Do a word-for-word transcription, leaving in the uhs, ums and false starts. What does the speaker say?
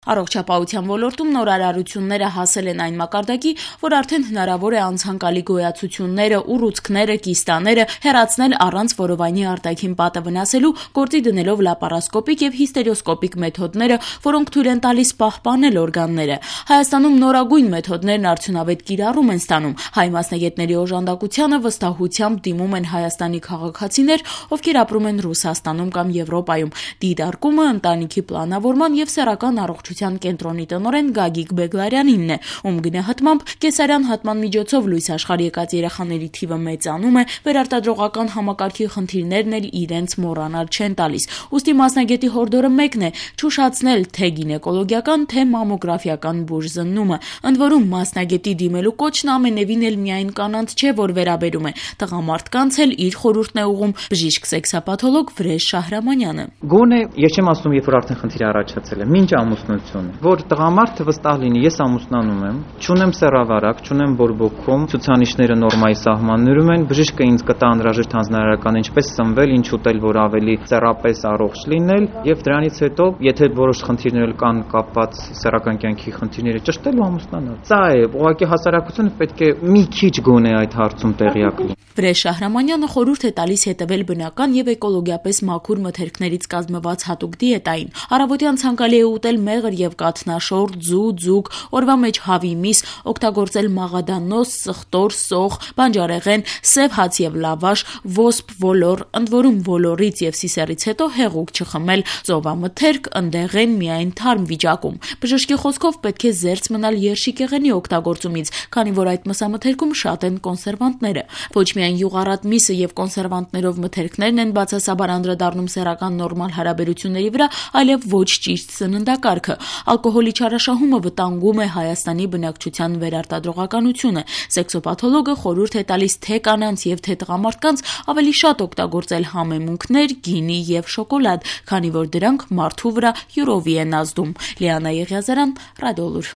Առողջապահության ոլորտում նոր արարությունները հասել են այն մակարդակի, որ արդեն հնարավոր է անցանկալի գոյացությունները, ուռուցքները, կիստաները հեռացնել առանց որովայնի արտաքին պատը վնասելու, գործի դնելով լապարասկոպիկ եւ հիստերոսկոպիկ մեթոդները, որոնք թույլ են տալիս պահպանել օրգանները։ Հայաստանում նորագույն մեթոդներն արդյունավետ կիրառում են ստանում։ Հայ մասնագետների օժանդակությանը վստահությամբ դիմում են Հայաստանի քաղաքացիներ, ովքեր ապրում են Ռուսաստանում կամ Եվրոպայում։ Դիտարկումը ընտանիքի պլանավորման եւ սեռական առողջության կենտրոնի տնօրեն Գագիկ Բեգլարյանինն է, ում գնահատմամբ կեսարյան հատման միջոցով լույս աշխարհ եկած երեխաների թիվը մեծանում է, վերարտադրողական համակարգի խնդիրներն էլ իրենց մոռանալ չեն տալիս։ Ուստի մասնագետի հորդորը մեկն է՝ չուշացնել թե գինեկոլոգիական, թե մամոգրաֆիական բուժզննումը։ Ընդ որում մասնագետի դիմելու կոչն ամենևին էլ միայն կանանց չէ, որ վերաբերում է, տղամարդկանց էլ իր խորհուրդն է ուղղում բժիշկ սեքսապաթոլոգ Վրեժ Շահրամանյանը։ Գոնե ես չեմ ասում, երբ որ արդեն խնդիր առաջացել է, մինչ ամուսնություն, որ տղամարդը վստահ լինի, ես ամուսնանում եմ, չունեմ սեռավարակ, չունեմ բորբոքում, ցուցանիշները նորմայի սահմաններում են, բժիշկը ինձ կտա անհրաժեշտ հանձնարարական ինչպես սնվել, ինչ ուտել, որ ավելի սեռապես առողջ լինել, եւ դրանից հետո, եթե որոշ խնդիրներ կան կապված սեռական կյանքի խնդիրների, ճշտել ու ամուսնանալ։ Սա է, ուղղակի հասարակությունը պետք է մի քիչ գոնե այդ հարցում տեղյակ լինի։ Վրեժ Շահրամանյանը խորհուրդ է տալիս հետևել բնական եւ էկոլոգիապես մաքուր մթերքներից կազմված հատուկ դիետային։ Առավոտյան ցանկալի է ուտել մեղր եւ կաթնաշոր, ձու, ձուկ, օրվա մեջ հավի միս, օգտագործել մաղադանոց, սխտոր, սող, բանջարեղեն, սև հաց եւ լավաշ, ոսպ, ոլոր, ընդ որում ոլորից եւ սիսեռից հետո հեղուկ չխմել, ծովամթերք, ընդեղեն միայն թարմ վիճակում։ Բժշկի խոսքով պետք է զերծ մնալ երշիկեղենի օգտագործումից, քանի որ այդ մսամթերքում շատ են կոնսերվանտները։ Ոչ միայն յուղառատ միսը եւ կոնսերվանտներով մթերքներն են բացասաբար անդրադառնում սեռական նորմալ հարաբերությունների վրա, այլև ոչ ճիշտ սննդակարգը։ Ալկոհոլի չարաշահումը վտանգում է Հայաստանի բնակչության վերարտադրողականությունը։ Սեքսոպաթոլոգը խորհուրդ է տալիս թե կանանց եւ թե տղամարդկանց ավելի շատ օգտագործել համեմունքներ, գինի եւ շոկոլադ, քանի որ դրանք մարդու վրա յուրովի են ազդում։ Լիանա Եղիազարյան, Ռադիոլուր։